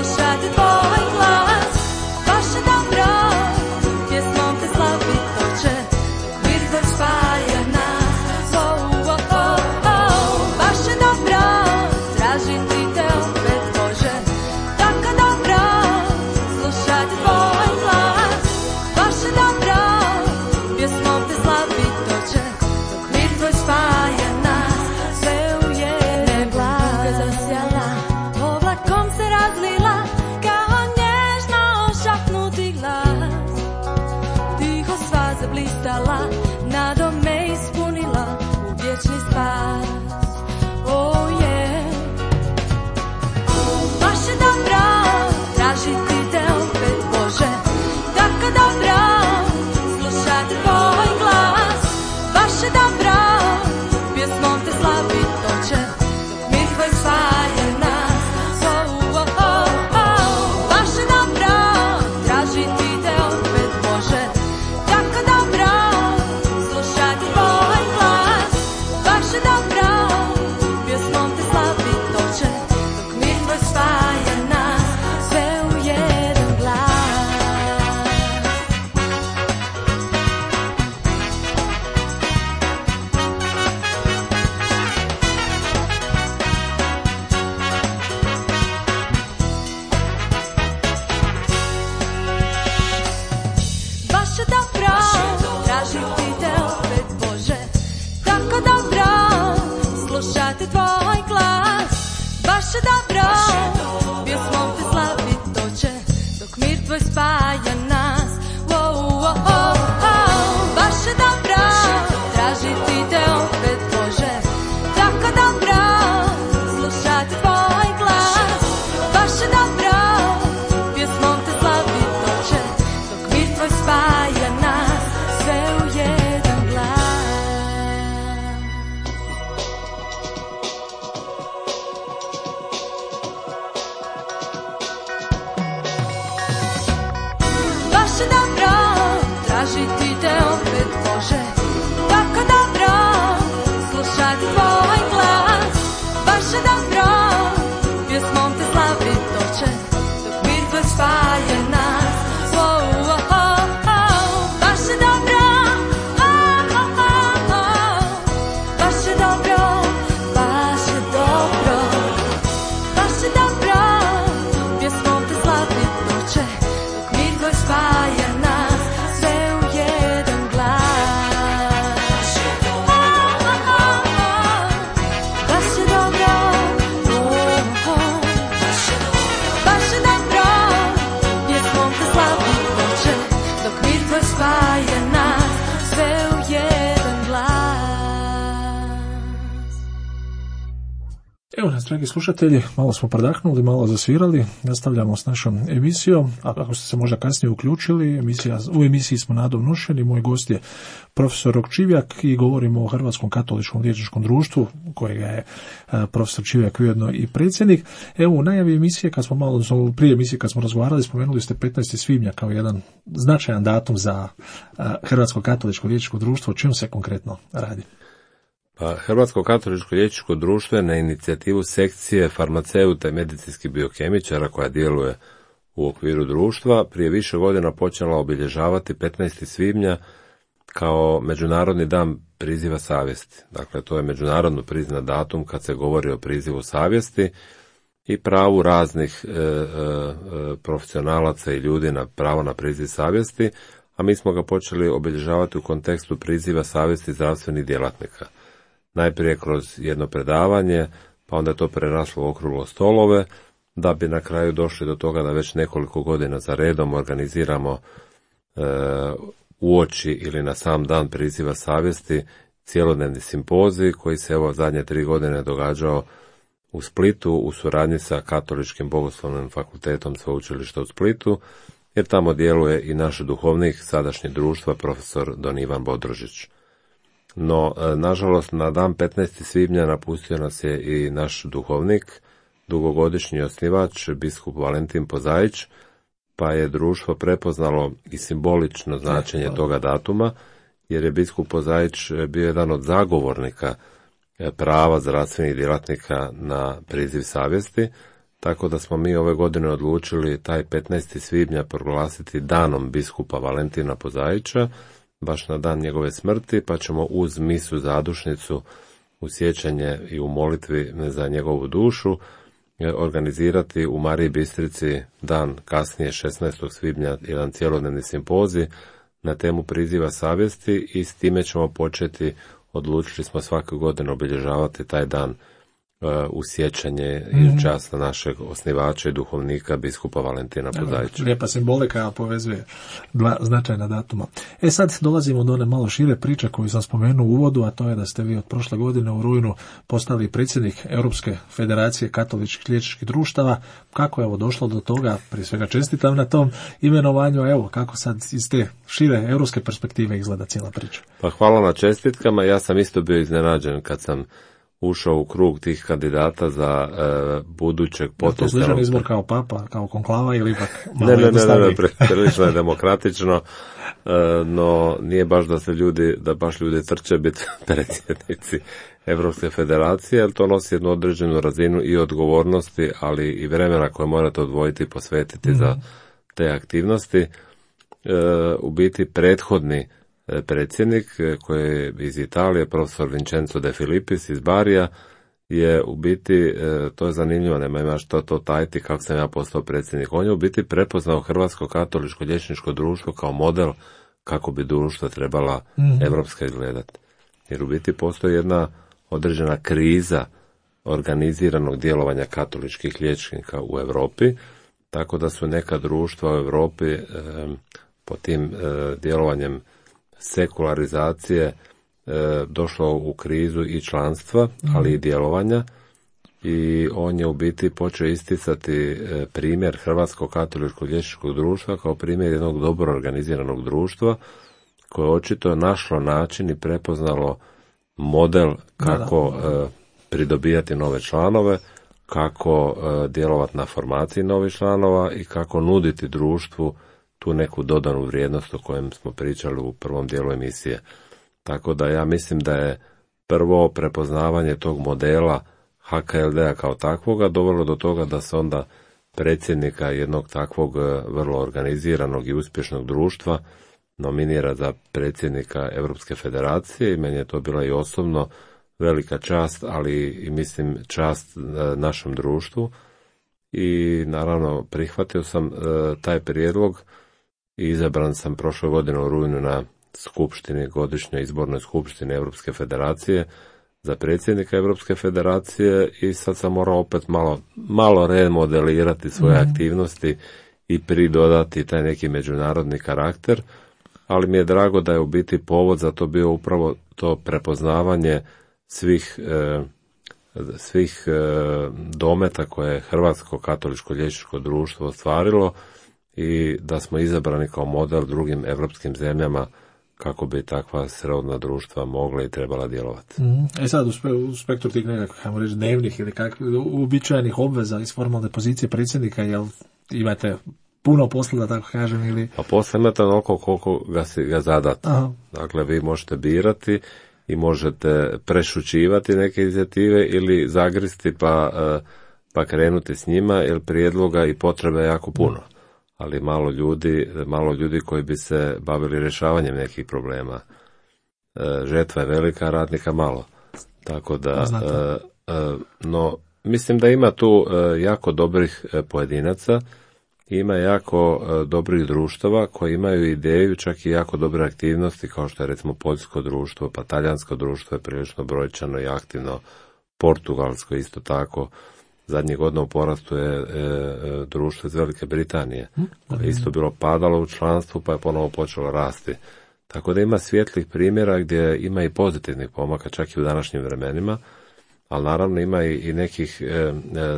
Slušati tvoj glas, baš je dobro, pjesmom te slavu. blistala, nadom me ispunila u vječni spas. Oh yeah. Baš je dobra tražiti te opet, Bože, tako dobra slušati tvoj glas. Baš je dobra pjesmom te slavit hoće, dok mir tvoj spaja nas. Oh, oh, oh, oh. Baš je dobra tražiti te opet, Bože, tako dobra slušati tvoj glas. Baš je dobra pjesmom te slavit hoće, dok mir tvoj spaja nas sve u jedan glas. Baš je dobro tražiti te opet, Bože, tako dobro slušati tvoj glas. Baš je dobro pjesmom te slavit hoće, dok mir tvoj spaja nas. Wow, wow, wow, wow. Baš je dobro tražiti te opet, Bože, tako dobro slušati tvoj glas. Baš je dobro pjesmom te slavit hoće, dok mir tvoj spaja nas sve u jedan glas. Baš je dobro tražiti te opet, Bože, tako dobro slušati tvoj glas. Baš je dobro pjesmom te slavit hoće, dok mir tvoj spaja nas. Oh, oh, oh, oh. Baš je dobro, oh, oh, oh, oh. Baš je dobro, baš je dobro. Baš je dobro pjesmom te slavit hoće, dok mir tvoj spaja nas sve u jedan glas. Oh, oh, oh, oh. Baš je dobro, oh, oh. Baš je dobro pjesmom te slavit hoće, dok mir tvoj spaja nas sve u jedan glas. Evo nas, dragi slušatelji, malo smo predahnuli, malo zasvirali, nastavljamo s našom emisijom, a ako ste se možda kasnije uključili, emisija, u emisiji smo Nadom Nošeni, moj gost je profesor Rok Čivjak i govorimo o Hrvatskom katoličkom liječničkom društvu, kojega je a, profesor Čivjak ujedno i predsjednik. Evo, u najavi emisije, kad smo malo, odnosno prije emisije kad smo razgovarali, spomenuli ste petnaesti svibnja kao jedan značajan datum za a, Hrvatsko katoličko liječničko društvo. O čemu se konkretno radi? Pa, Hrvatsko katoličko liječničko društvo je na inicijativu sekcije farmaceuta i medicinskih biokemičara koja djeluje u okviru društva prije više godina počela obilježavati petnaesti svibnja kao Međunarodni dan priziva savjesti. Dakle, to je međunarodno priznat datum kad se govori o prizivu savjesti i pravu raznih e, e, profesionalaca i ljudi na pravo na priziv savjesti, a mi smo ga počeli obilježavati u kontekstu priziva savjesti zdravstvenih djelatnika. Najprije kroz jedno predavanje, pa onda je to preraslo u okruglo stolove, da bi na kraju došli do toga da već nekoliko godina za redom organiziramo e, uoči ili na sam dan priziva savjesti cjelodnevni simpozij koji se evo zadnje tri godine događao u Splitu u suradnji sa Katoličkim bogoslovnim fakultetom Sveučilišta u Splitu, jer tamo djeluje i naš duhovnik sadašnjeg društva, profesor Don Ivan Bodrožić. No, nažalost, na dan petnaesti svibnja napustio nas je i naš duhovnik, dugogodišnji osnivač, biskup Valentin Pozaić, pa je društvo prepoznalo i simbolično značenje toga datuma, jer je biskup Pozaić bio jedan od zagovornika prava zdravstvenih djelatnika na priziv savjesti, tako da smo mi ove godine odlučili taj petnaesti svibnja proglasiti danom biskupa Valentina Pozaića, baš na dan njegove smrti, pa ćemo uz misu zadušnicu u sjećanje i u molitvi za njegovu dušu organizirati u Mariji Bistrici dan kasnije šesnaestog svibnja jedan cjelodnevni simpozij na temu priziva savjesti i s time ćemo početi, odlučili smo svake godine obilježavati taj dan u sjećanje mm-hmm. i u čast našeg osnivača i duhovnika biskupa Valentina Podajča. Lijepa simbolika povezuje dva značajna datuma. E sad dolazimo do one malo šire priče koju sam spomenuo u uvodu, a to je da ste vi od prošle godine u rujnu postali predsjednik Europske federacije katoličkih liječničkih društava. Kako je ovo došlo do toga? Prije svega čestitam na tom imenovanju, evo kako sad iz te šire europske perspektive izgleda cijela priča. Pa hvala na čestitkama, ja sam isto bio iznenađen kad sam ušao u krug tih kandidata za e, budućeg potencijalnog... Je to sličan izbor kao papa, kao konklava ili ipak malo ne, ne, jednostavniji? Ne, ne, ne, prilično je demokratično, e, no nije baš da se ljudi, da baš ljudi trče biti predsjednici Europske federacije, jer to nosi jednu određenu razinu i odgovornosti, ali i vremena koje morate odvojiti i posvetiti mm-hmm. za te aktivnosti. E, u biti prethodni predsjednik koji je iz Italije, profesor Vincenzo De Filippis iz Barija, je u biti, to je zanimljivo, nema ima što to tajiti kako sam ja postao predsjednik, on je u biti prepoznao Hrvatsko katoličko liječničko društvo kao model kako bi društvo trebala mm-hmm. evropska izgledati. Jer u biti postoji jedna određena kriza organiziranog djelovanja katoličkih liječnika u Europi, tako da su neka društva u Europi eh, po tim eh, djelovanjem sekularizacije e, došlo u krizu i članstva, ali i djelovanja, i on je u biti počeo isticati e, primjer Hrvatskog katoličkog liječničkog društva kao primjer jednog dobro organiziranog društva koje je očito našlo način i prepoznalo model kako da, da. E, pridobijati nove članove, kako e, djelovati na formaciji novih članova i kako nuditi društvu tu neku dodanu vrijednost o kojem smo pričali u prvom dijelu emisije. Tako da ja mislim da je prvo prepoznavanje tog modela H K L D-a kao takvoga dovelo do toga da se onda predsjednika jednog takvog vrlo organiziranog i uspješnog društva nominira za predsjednika Europske federacije, i meni je to bila i osobno velika čast, ali i mislim čast našem društvu, i naravno prihvatio sam uh, taj prijedlog i izabran sam prošle godine u rujnu na skupštini, godišnjoj izbornoj skupštini Europske federacije za predsjednika Europske federacije, i sad sam morao opet malo, malo remodelirati svoje mm-hmm. aktivnosti i pridodati taj neki međunarodni karakter, ali mi je drago da je u biti povod za to bio upravo to prepoznavanje svih e, svih e, dometa koje je Hrvatsko katoličko liječničko društvo ostvarilo, i da smo izabrani kao model drugim evropskim zemljama kako bi takva srodna društva mogla i trebala djelovati. Mm. E sad, u, spe, u spektru tih nekakvih, hajmo reći, dnevnih ili kakvih uobičajenih obveza iz formalne pozicije predsjednika, jel imate puno posla, da tako kažem, ili... Pa posla imate onoliko koliko ga, si, ga zadate. Aha. Dakle, vi možete birati i možete prešućivati neke inicijative ili zagristi pa, pa krenuti s njima, jer prijedloga i potrebe je jako puno. Mm. Ali malo ljudi, malo ljudi koji bi se bavili rješavanjem nekih problema. E, žetva je velika, radnika malo. Tako da, e, e, no, mislim da ima tu e, jako dobrih e, pojedinaca, ima jako e, dobrih društava koji imaju ideju, čak i jako dobre aktivnosti, kao što je recimo poljsko društvo, pa talijansko društvo je prilično brojčano i aktivno, portugalsko isto tako. Zadnjih godina u porastu je e, e, društvo iz Velike Britanije, koje je isto bilo padalo u članstvu, pa je ponovo počelo rasti. Tako da ima svijetlih primjera gdje ima i pozitivnih pomaka, čak i u današnjim vremenima, ali naravno ima i, i nekih e, e,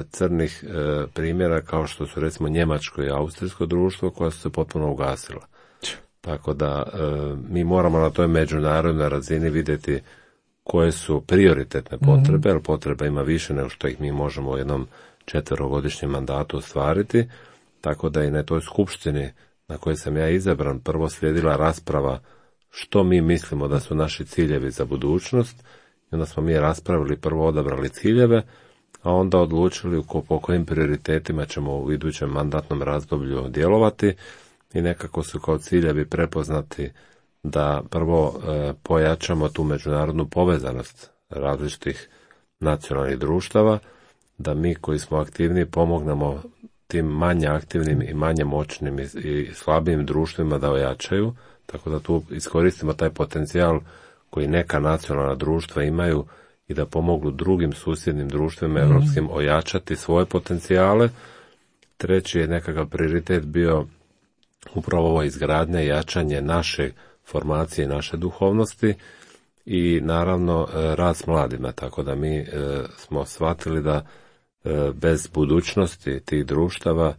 crnih e, primjera, kao što su recimo njemačko i austrijsko društvo, koja su se potpuno ugasila. Tako da e, mi moramo na toj međunarodnoj razini vidjeti koje su prioritetne potrebe, jer potreba ima više nego što ih mi možemo u jednom četverogodišnjem mandatu ostvariti, tako da i na toj skupštini na kojoj sam ja izabran prvo slijedila rasprava što mi mislimo da su naši ciljevi za budućnost, i onda smo mi raspravili, prvo odabrali ciljeve, a onda odlučili po kojim prioritetima ćemo u idućem mandatnom razdoblju djelovati, i nekako su kao ciljevi prepoznati da prvo e, pojačamo tu međunarodnu povezanost različitih nacionalnih društava, da mi koji smo aktivni pomognemo tim manje aktivnim i manje moćnim i, i slabijim društvima da ojačaju, tako da tu iskoristimo taj potencijal koji neka nacionalna društva imaju i da pomognu drugim susjednim društvima europskim ojačati svoje potencijale. Treći je nekakav prioritet bio upravo ovo izgradnja i jačanje naše formacije i naše duhovnosti i naravno rad s mladima, tako da mi e, smo shvatili da e, bez budućnosti tih društava,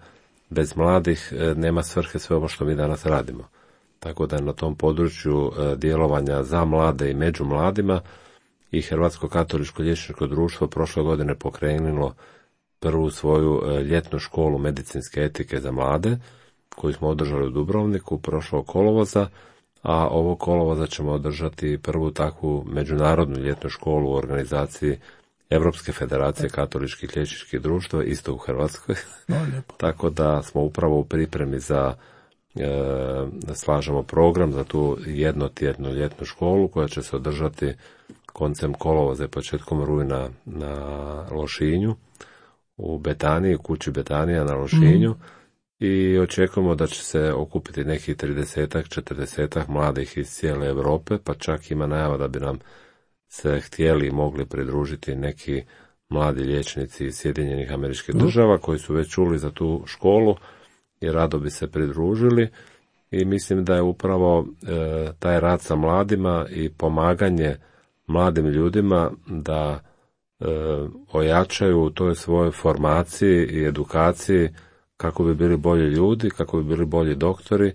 bez mladih e, nema svrhe sve ovo što mi danas radimo. Tako da je na tom području e, djelovanja za mlade i među mladima i Hrvatsko katoličko liječničko društvo prošle godine pokrenulo prvu svoju e, ljetnu školu medicinske etike za mlade, koju smo održali u Dubrovniku prošlog kolovoza, a ovo kolovoza ćemo održati prvu takvu međunarodnu ljetnu školu u organizaciji Europske federacije katoličkih liječničkih društva, isto u Hrvatskoj. No, tako da smo upravo u pripremi za e, slažemo program za tu jednotjednu ljetnu školu koja će se održati koncem kolovoza i početkom rujna na Lošinju, u Betaniji, u kući Betanija na Lošinju. Mm. I očekujemo da će se okupiti nekih tridesetak, četrdesetak mladih iz cijele Europe, pa čak ima najava da bi nam se htjeli i mogli pridružiti neki mladi liječnici iz Sjedinjenih Američkih Država koji su već čuli za tu školu i rado bi se pridružili. I mislim da je upravo e, taj rad sa mladima i pomaganje mladim ljudima da e, ojačaju u toj svojoj formaciji i edukaciji kako bi bili bolji ljudi, kako bi bili bolji doktori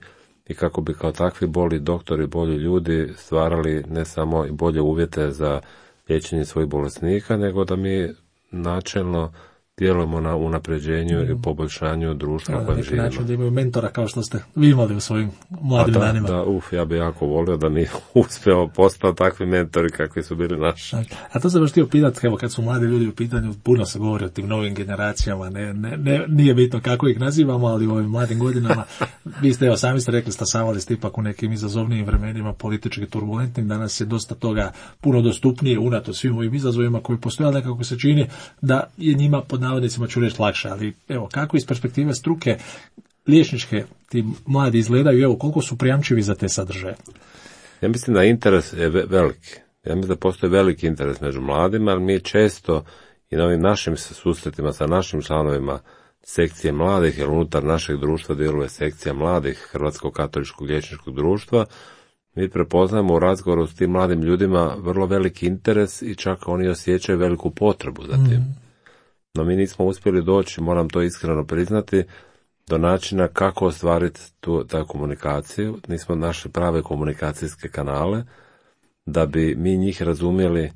i kako bi kao takvi bolji doktori, bolji ljudi stvarali ne samo i bolje uvjete za liječenje svojih bolesnika, nego da mi načelno djelujemo na unapređenju i poboljšanju društva u kojem živimo. Način da imaju mentora kao što ste vi imali u svojim mladim da, danima. Da, uf, ja bih jako volio da mi uspijemo postati takvi mentori kakvi su bili naši. A to sam baš htio pitati, evo kad su mladi ljudi u pitanju, puno se govori o tim novim generacijama, ne, ne, ne, nije bitno kako ih nazivamo, ali u ovim mladim godinama, vi ste, evo sami ste rekli, stasavali ste ipak u nekim izazovnijim vremenima, politički turbulentnim, danas je dosta toga puno dostupnije, unato svim ovim izazovima koji postoje, ali nekako se čini da je njima pod navodnicima ću reći lakše, ali evo kako iz perspektive struke liječničke ti mladi izgledaju, evo koliko su prijamčivi za te sadržaje? Ja mislim da interes je veliki. Ja mislim da postoji veliki interes među mladima, ali mi često i na ovim našim susretima sa našim članovima sekcije mladih, jer unutar našeg društva djeluje sekcija mladih Hrvatskog katoličkog liječničkog društva, mi prepoznajemo u razgovoru s tim mladim ljudima vrlo veliki interes i čak oni osjećaju veliku potrebu za tim. Mm. No mi nismo uspjeli doći, moram to iskreno priznati, do načina kako ostvariti tu, tu komunikaciju. Nismo našli prave komunikacijske kanale da bi mi njih razumjeli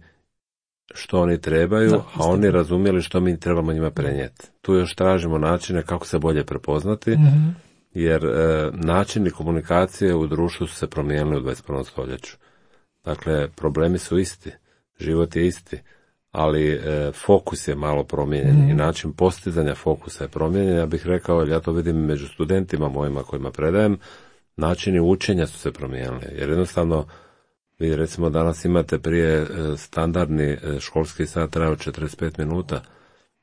što oni trebaju, da, a oni razumjeli što mi trebamo njima prenijeti. Tu još tražimo načine kako se bolje prepoznati, mm-hmm. jer e, načini komunikacije u društvu su se promijenili u dvadeset prvom stoljeću. Dakle, problemi su isti, život je isti, ali e, fokus je malo promijenjen mm. i način postizanja fokusa je promijenjen. Ja bih rekao, jer ja to vidim među studentima mojima kojima predajem, načini učenja su se promijenili, jer jednostavno vi recimo danas imate prije e, standardni e, školski sat trajao četrdeset pet minuta,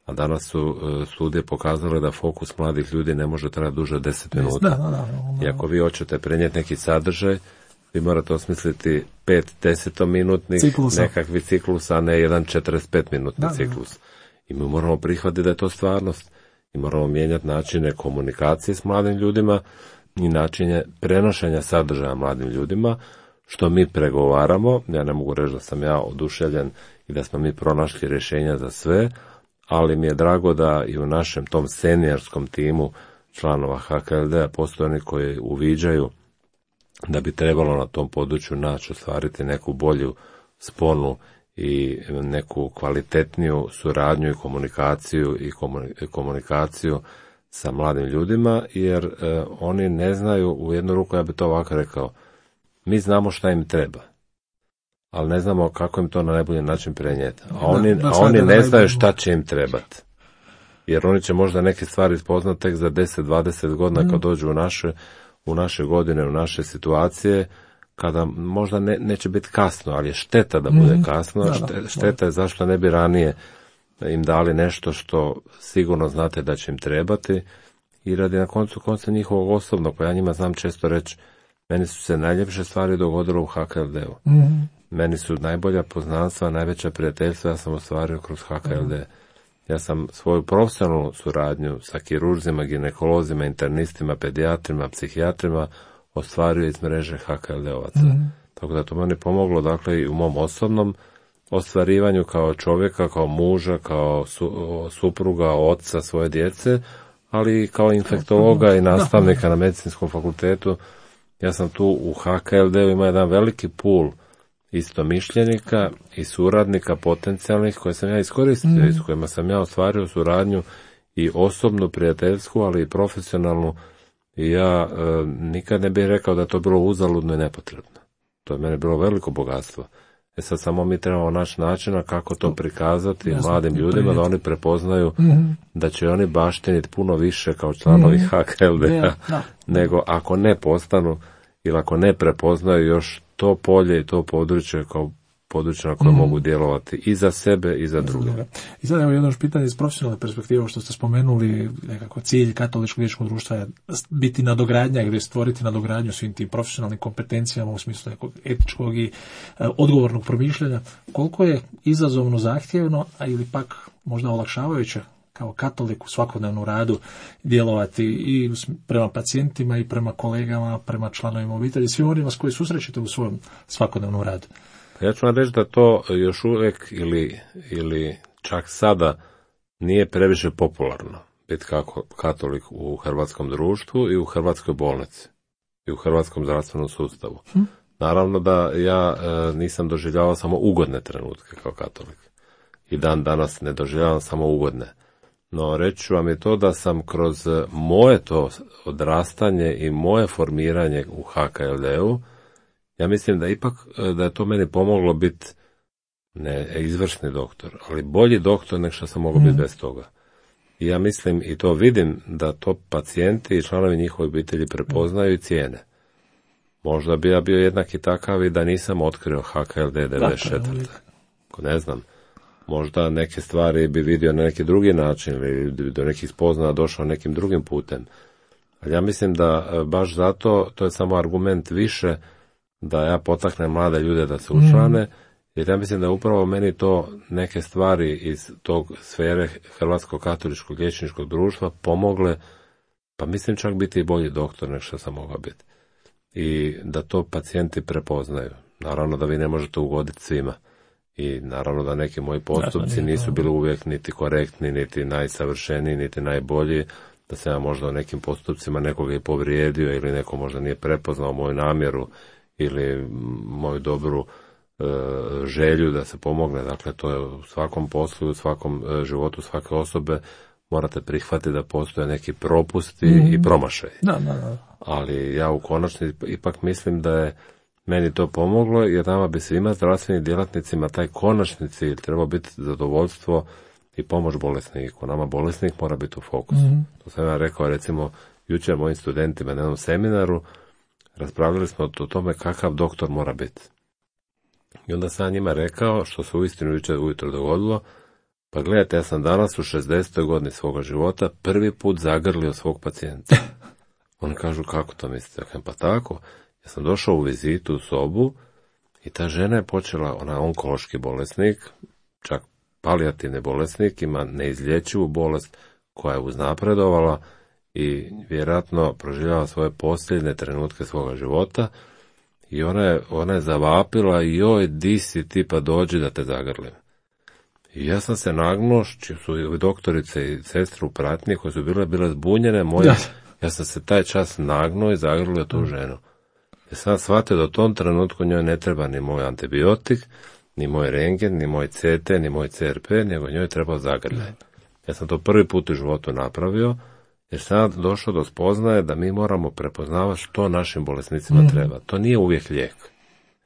a danas su e, studije pokazale da fokus mladih ljudi ne može trajati duže od deset minuta. Da, da, da, da. I ako vi hoćete prenijeti neki sadržaj, vi morate osmisliti pet desetominutnih nekakvih ciklusa, a ne jedan četrdeset pet minutni da, ciklus. I mi moramo prihvatiti da je to stvarnost. I moramo mijenjati načine komunikacije s mladim ljudima i načine prenošenja sadržaja mladim ljudima, što mi pregovaramo. Ja ne mogu reći da sam ja oduševljen i da smo mi pronašli rješenja za sve, ali mi je drago da i u našem tom seniorskom timu članova H K L D-a postoje oni koji uviđaju da bi trebalo na tom području naći ostvariti neku bolju sponu i neku kvalitetniju suradnju i komunikaciju i komunikaciju sa mladim ljudima, jer e, oni ne znaju, u jednu ruku ja bi to ovako rekao, mi znamo šta im treba, ali ne znamo kako im to na najbolji način prenijeti. A oni, a oni ne znaju šta će im trebati. Jer oni će možda neke stvari spoznati tek za deset dvadeset godina mm. kad dođu u naše, u naše godine, u naše situacije, kada možda ne, neće biti kasno, ali je šteta da bude kasno. Da, da, šteta je zašto ne bi ranije im dali nešto što sigurno znate da će im trebati i radi na koncu konca njihovog osobnog, pa ja njima znam često reći, meni su se najljepše stvari dogodile u H K L D-u. Mm-hmm. meni su najbolja poznanstva, najveća prijateljstva ja sam ostvario kroz H K L D. Ja sam svoju profesionalnu suradnju sa kirurzima, ginekolozima, internistima, pedijatrima, psihijatrima ostvario iz mreže H K L D-ovaca. Mm. Tako da to meni pomoglo, dakle, i u mom osobnom ostvarivanju kao čovjeka, kao muža, kao su, supruga, oca svoje djece, ali i kao infektologa i nastavnika na medicinskom fakultetu. Ja sam tu u H K L D-u imao jedan veliki pool istomišljenika i suradnika potencijalnih koje sam ja iskoristio mm. i s kojima sam ja ostvario suradnju i osobnu, prijateljsku, ali i profesionalnu. I ja e, nikad ne bih rekao da je to bilo uzaludno i nepotrebno. To je meni bilo veliko bogatstvo. E sad samo mi trebamo naći načina kako to prikazati Jasno, mladim ljudima da oni prepoznaju mm-hmm. da će oni baštiniti puno više kao članovi mm-hmm. H K L D-a yeah, nego ako ne postanu ili ako ne prepoznaju još to polje i to područje kao područja na koje mm. mogu djelovati i za sebe i za druge. I sad evo jedno još pitanje iz profesionalne perspektive, što ste spomenuli, nekako cilj katoličkog liječničkog društva je biti nadogradnja ili stvoriti nadogradnju svim tim profesionalnim kompetencijama u smislu nekog etičkog i e, odgovornog promišljanja. Koliko je izazovno, zahtjevno, a ili pak možda olakšavajuće kao katolik u svakodnevnom radu djelovati i prema pacijentima i prema kolegama, prema članovima obitelji, svim onima s koji susrećete u svojom svakodnevnom radu? Ja ću vam reći da to još uvijek ili, ili čak sada nije previše popularno biti kako katolik u hrvatskom društvu i u hrvatskoj bolnici i u hrvatskom zdravstvenom sustavu. Hm? Naravno da ja e, nisam doživljavao samo ugodne trenutke kao katolik i dan danas ne doživljavam samo ugodne. No reći ću vam je to da sam kroz moje to odrastanje i moje formiranje u H K L D-u, ja mislim da ipak da je to meni pomoglo biti ne izvrsni doktor, ali bolji doktor nego što sam mogao mm. biti bez toga. I ja mislim i to vidim da to pacijenti i članovi njihove obitelji prepoznaju i cijene. Možda bi ja bio jednak i takav i da nisam otkrio H K L D devedeset četvrte. Ne znam. Možda neke stvari bi vidio na neki drugi način ili do nekih spoznaja došao nekim drugim putem. Ali ja mislim da baš zato to je samo argument više da ja potaknem mlade ljude da se učlane, mm. jer ja mislim da upravo meni to neke stvari iz tog sfere Hrvatskog katoličkog liječničkog društva pomogle, pa mislim čak biti i bolji doktor nego što sam mogao biti. I da to pacijenti prepoznaju. Naravno da vi ne možete ugoditi svima. I naravno da neki moji postupci nisu bili uvijek niti korektni, niti najsavršeniji, niti najbolji, da sam ja možda u nekim postupcima nekoga i povrijedio ili neko možda nije prepoznao moju namjeru ili moju dobru e, želju da se pomogne. Dakle, to je u svakom poslu, u svakom e, životu svake osobe morate prihvatiti da postoje neki propusti mm-hmm. i promašaj. Da, da, da. Ali ja u konačnici ipak mislim da je meni to pomoglo, jer nama bi svima zdravstvenim djelatnicima taj konačni cilj trebao biti zadovoljstvo i pomoć bolesniku. Nama bolesnik mora biti u fokusu. Mm-hmm. To sam ja rekao, recimo, jučer mojim studentima na jednom seminaru, raspravljali smo o tome kakav doktor mora biti. I onda sam njima rekao, što se uistinu jučer ujutro dogodilo, pa gledajte, ja sam danas u šezdesetoj godini svoga života prvi put zagrlio svog pacijenta. Oni kažu, kako to mislite? Pa tako, ja sam došao u vizitu u sobu i ta žena je počela, ona je onkološki bolesnik, čak palijativni bolesnik, ima neizlječivu bolest koja je uznapredovala i vjerojatno proživljava svoje posljednje trenutke svoga života i ona je, ona je zavapila, joj, di si ti, pa dođi da te zagrlim. I ja sam se nagnuo, čiji su i doktorice i sestre u pratnji koje su bile, bile zbunjene moje, ja sam se taj čas nagnuo i zagrlio tu ženu. Ja sam shvatio da u tom trenutku njoj ne treba ni moj antibiotik, ni moj rengen, ni moj C T, ni moj C R P, nego njoj treba zagrljaj. Ja sam to prvi put u životu napravio, jer sam došao do spoznaje da mi moramo prepoznavati što našim bolesnicima treba. To nije uvijek lijek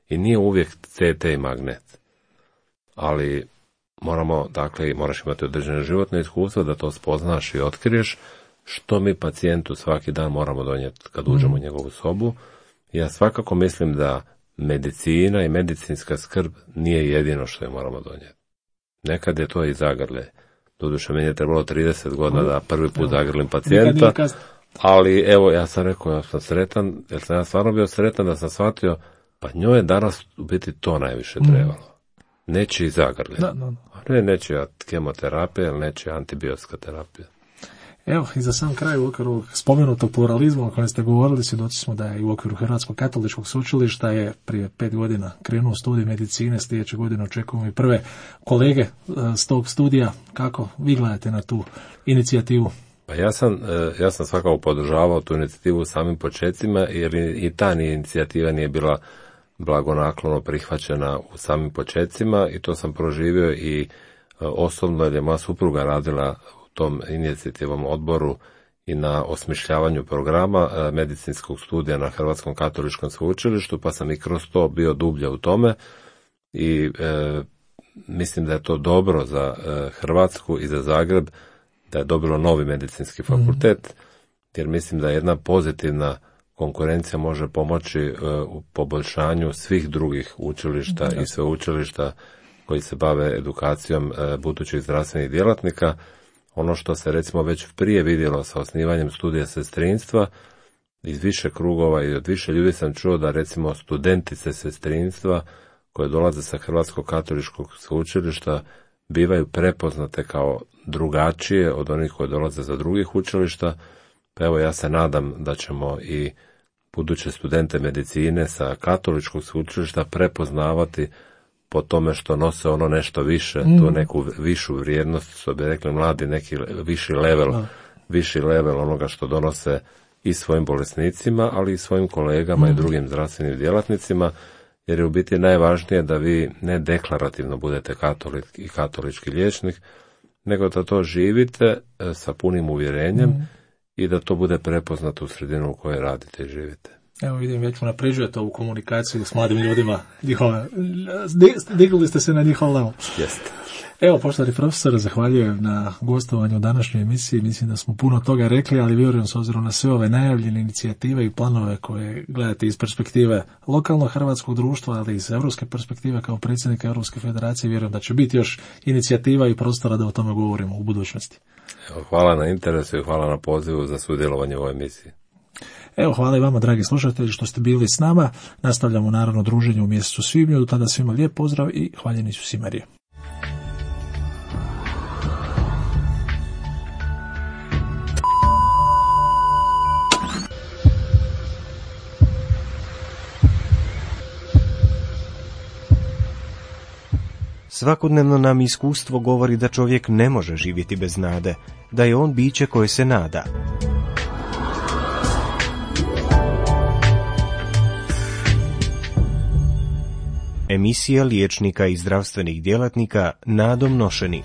i nije uvijek C T i magnet. Ali moramo, dakle, moraš imati određeno životno iskustvo da to spoznaš i otkriješ što mi pacijentu svaki dan moramo donijeti kad uđemo u njegovu sobu. Ja svakako mislim da medicina i medicinska skrb nije jedino što je moramo donijeti. Nekad je to i zagrlje. Doduše, meni je trebalo trideset godina da prvi put zagrlim pacijenta, ali evo, ja sam rekao, ja sam sretan, jer sam ja stvarno bio sretan da sam shvatio, Pa njoj je danas u biti to najviše trebalo. Nečiji zagrljaj. Da, da, da. Ne nečija kemoterapija ili nečija antibiotska terapija. Evo, i za sam kraj u okviru spomenutog pluralizma o kojem ste govorili, svjedoci smo da je i u okviru Hrvatskog katoličkog sveučilišta je prije pet godina krenuo studij medicine, sljedeće godine očekujemo i prve kolege s tog studija. Kako vi gledate na tu inicijativu? Pa ja sam, ja sam svakako podržavao tu inicijativu u samim početcima, jer i ta inicijativa nije bila blagonaklono prihvaćena u samim početcima i to sam proživio i osobno, jer je moja supruga radila u tom inicijativom odboru i na osmišljavanju programa medicinskog studija na Hrvatskom katoličkom sveučilištu, pa sam i kroz to bio dublje u tome i e, mislim da je to dobro za e, Hrvatsku i za Zagreb, da je dobilo novi medicinski fakultet, jer mislim da jedna pozitivna konkurencija može pomoći uh, u poboljšanju svih drugih učilišta i sveučilišta koji se bave edukacijom uh, budućih zdravstvenih djelatnika. Ono što se recimo već prije vidjelo sa osnivanjem studija sestrinstva, iz više krugova i od više ljudi sam čuo da recimo studentice sestrinstva koje dolaze sa Hrvatskog katoličkog sveučilišta bivaju prepoznate kao drugačije od onih koji dolaze za drugih učilišta. Pa evo, ja se nadam da ćemo i buduće studente medicine sa katoličkog sveučilišta prepoznavati po tome što nose ono nešto više, mm. tu neku višu vrijednost, što bi rekli mladi, neki viši level, no. viši level onoga što donose i svojim bolesnicima, ali i svojim kolegama mm. i drugim zdravstvenim djelatnicima, jer je u biti najvažnije da vi ne deklarativno budete katolik i katolički liječnik, nego da to živite sa punim uvjerenjem mm. i da to bude prepoznato u sredinu u kojoj radite i živite. Evo vidim, već unapređujete ovu komunikaciju s mladim ljudima. Njihove, digli ste se na njihov level. Jeste. Evo, poštovani profesor, zahvaljujem na gostovanju u današnjoj emisiji. Mislim da smo puno toga rekli, ali vjerujem s obzirom na sve ove najavljene inicijative i planove koje gledate iz perspektive lokalnog hrvatskog društva, ali iz europske perspektive kao predsjednika Europske federacije, vjerujem da će biti još inicijativa i prostora da o tome govorimo u budućnosti. Evo, hvala na interesu i hvala na pozivu za sudjelovanje u ovoj emisiji. Evo, hvala i vama, dragi slušatelji, što ste bili s nama. Nastavljamo naravno druženje u mjesecu svibnju. Do tada svima lijep pozdrav i hvaljeni Isus i Marija. Svakodnevno nam iskustvo govori da čovjek ne može živjeti bez nade, da je on biće koje se nada. Emisija liječnika i zdravstvenih djelatnika Nadom nošeni.